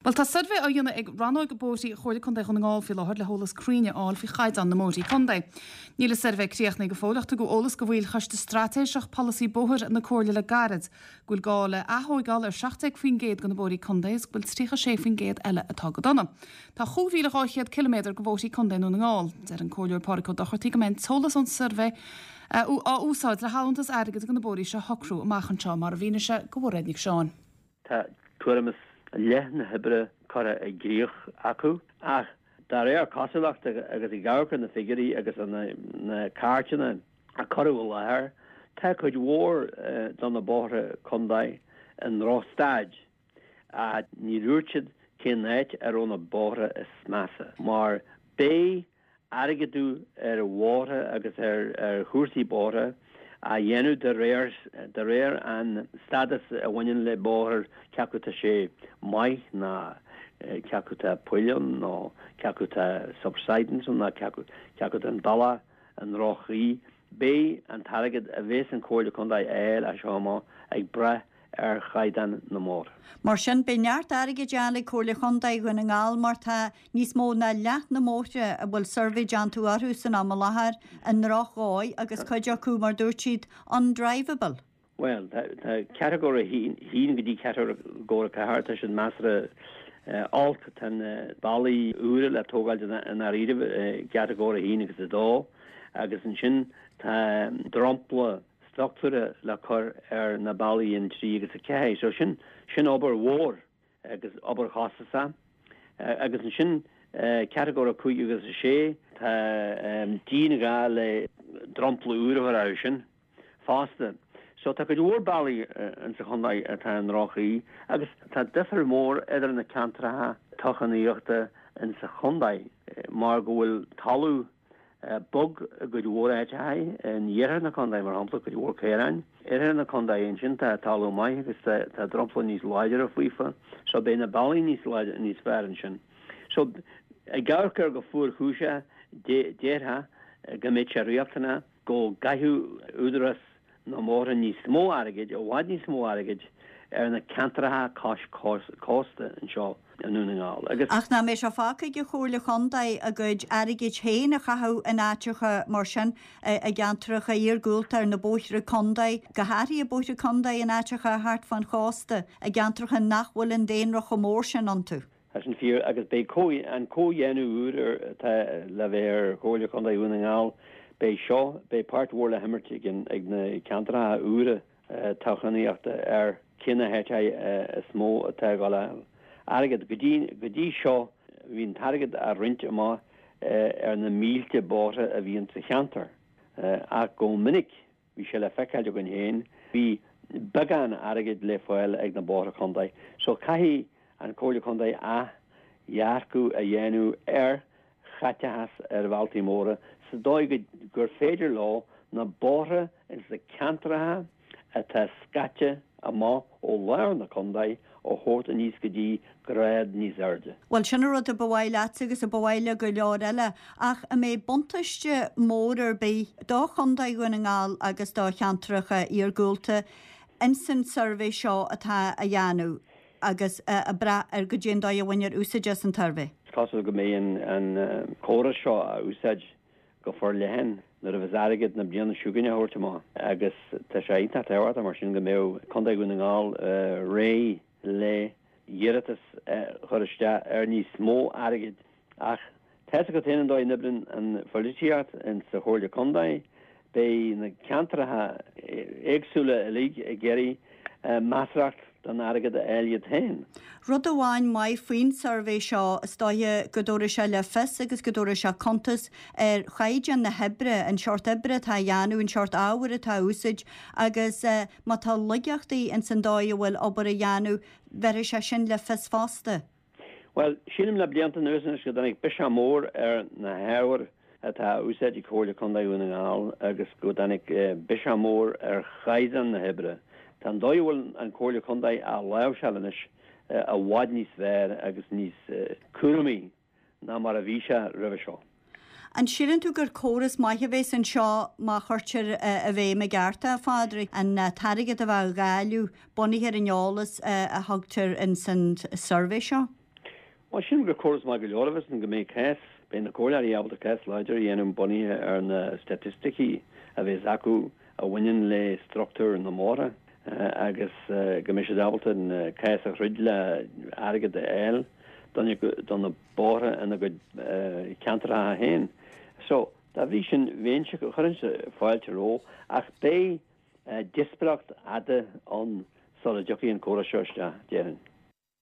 Bhuel, tá suirbhé á dhéanamh ag Rannóg Bóithrí Chomhairle Contae Dhún na nGall faoi láthair le heolas cruinn a fháil faoi chaighdeán na mbóithrí contae. Níl an suirbhé críochnaithe go fóill ach tugadh eolas do bhaill Choiste Straitéiseach Polasaí Bóthair na Comhairle le gairid go bhfuil gá le ath-thóigeáil ar 17% de na bóithrí contae is go bhfuil 36% eile atá go dona. Tá 5,200 ciliméadar de bhóithrí contae i nDún na nGall. Deir an Comhairleoir Pádraig Ó Dochartaigh go mbeidh an t-eolas ón suirbhé á úsáid le halúntas airgid do na bóithrí seo a shocrú amach anseo, mar a mhínigh sé do Mhairéad Nic Seáin. Tá tuairim is leath na hoibre curtha i gcrích acu ach de réir cosúlachta agus ag amharc ar na figiúirí agus ar na cairteanna a cuireadh i láthair, tá cuid mhór de na bóithre contae i ndrochstaid ach ní dúirt siad cén áit a raibh na bóithre is measa mar beidh airgeadú ar bhóithre agus ar chúrsaí bóithre á dhéanamh de réir de réir an stádas a bhaineann le bóthar, cé acu tá sé maith ná cé acu tá poill ann nó cé acu tá subsidence ann ná cé acu cé acu tá an bealach i ndroch-chaoi. Beidh an t-airgead a bheas an Chomhairle Contae a fháil as seo amach ag brath ar chaighdeán na mbóithre. Mar sin, beidh neart airgid a fháil ag Comhairle Chontae Dhún na nGall mar tá níos mó ná leath na mbóithre a bhfuil suirbhé déanta orthu san am i láthair i ndrochdhóigh agus cuid acu, mar dúirt siad, undriveable. Bhuel, tá catagóir a haon go dtí catagóir a 4, tá siad measartha olc. Tá na bealaí úra le tógáil i ndáiríribh i gcatagóir a haon agus a dó agus ansin tá dromchla struchtúrtha le cur ar na bealaí an 3 agus 4. So sin, sin obair mhór agus obair chostasach. Agus ansin catagóir 5 agus 6, tá dianghá le dromchla úr a chur orthu sin fosta. So tá cuid mhór bealaí insa chontae atá i ndroch-chaoi agus tá difear mór idir na ceantracha toghchánaíochta insa chontae mar go bhfuil talamh bog i gcuid mhór áiteacha, in iarthar na contae, mar shampla, cuid mhór caoráin. Oirthear na contae, ansin tá talamh maith agus tá dromchla níos láidre faofa, so beidh na bealaí níos láidre, níos fearr ansin. So, ag amharc air go fuarchúiseach, déarfá go mbeadh sé riachtanach go gcaithfeadh Údarás na mbóithre níos mó airgid, i bhfad níos mó airgid, ar na ceantracha cois cósta anseo i nDún na nGall. Agus. Ach nach mbeidh sé fágtha ag an Chomhairle Chontae a gcuid airgid féin a chaitheamh in áiteacha mar sin, i gceantracha iargúlta ar na bóithre contae, go háirithe bóithre contae in áiteacha thart fán chósta, i gceantracha nach bhfuil an daonra chomh mór sin iontu? Tá sin fíor agus beidh an comhdhéanamh úr atá le bheith ar Chomhairle Contae Dhún na nGall, beidh seo, beidh páirt mhór le himirt ag na ceantracha úra toghchánaíochta ar cé na háiteacha is mó atá ag dul a fháil airgead. Go dtí, go dtí seo bhí an t-airgead á roinnt amach ar na mílte bóithre a bhí sa cheantar ach go minic Bhí sé le feiceáil againn féin, bhí beagán airgid le fáil ag na bóithre contae. So caithfidh an Comhairle Contae athdhearcadh a dhéanamh ar chaiteachas ar bhealtaí móra sa dóigh gur féidir leo na bóithre ins na ceantracha atá scaite amach ó lár na contae a thabhairt aníos go dtí grád níos airde. Bhuel, sin an rud a ba mhaith leatsa agus a ba mhaith le go leor eile, ach an mbeidh buntáiste mór ar bith do Chontae Dhún na nGall agus do cheantracha iargúlta ins an suirbhé seo atá á dhéanamh agus ag brath ar goidé an dóigh a bhainfear úsáid as an tsuirbhé? Is cosúil go mbeidh an córas seo á úsáid go forleathan nuair a bheas airgead na bliana seo chugainn á thabhairt amach agus tá sé iontach tábhachtach mar sin go mbeadh Contae Dhún na nGall réidh le hiarratas a chur isteach ar níos mó airgid ach tá 'fhios agat féin an dóigh a n-oibríonn an phoilitíocht in sa Chomhairle Contae, beidh na ceantracha éagsúla uilig ag iarraidh measarthacht den airgead a fháil iad féin. Rud amháin maith faoin suirbhé seo, is dóiche go dtabharfaidh sé le fios agus go dtabharfaidh sé cuntas ar chaighdeán na hoibre, an seort oibre atá á dhéanamh, an seort ábhair atá á úsáid agus má tá laigeachtaí ins an dóigh a bhfuil obair á dhéanamh, bhéarfaidh sé sin le fios fosta. Bhuel, sílim le blianta anuas anois go dtáinig biseach mór ar na hábhair atá á úsáid ag Comhairle Contae Dhún na nGall agus go dtáinig biseach mór ar chaighdeán na hoibre. Tá an dóigh a bhfuil an Comhairle Contae á láimhseáil anois i bhfad níos fearr agus níos cúramaí ná mar a bhí sé roimhe seo. An síleann tú gur córas maith a bhéas anseo má chuirtear i bhfeidhm i gceart é, a Phádraig? An t-airgead a bheith á dháileadh bunaithe ar an eolas a thugtar ins an suirbhé seo? Bhuel, sílim gur córas maith go leor a bheas ann go mbeidh cás, beidh na comhairleoirí ábalta cás láidir a dhéanamh bunaithe ar na staitisticí a bheas acu a bhaineann le struchtúr na mbóithre agus go mbeidh siad ábalta an cás a throid le airgead a fháil do na bóithre ina gcuid ceantracha féin. So, dá bhrí sin, bheinnse, chuirfinnse fáilte roimhe ach beidh díospóireacht fhada ann sula dtiocfaidh an córas seo isteach, déarfainn.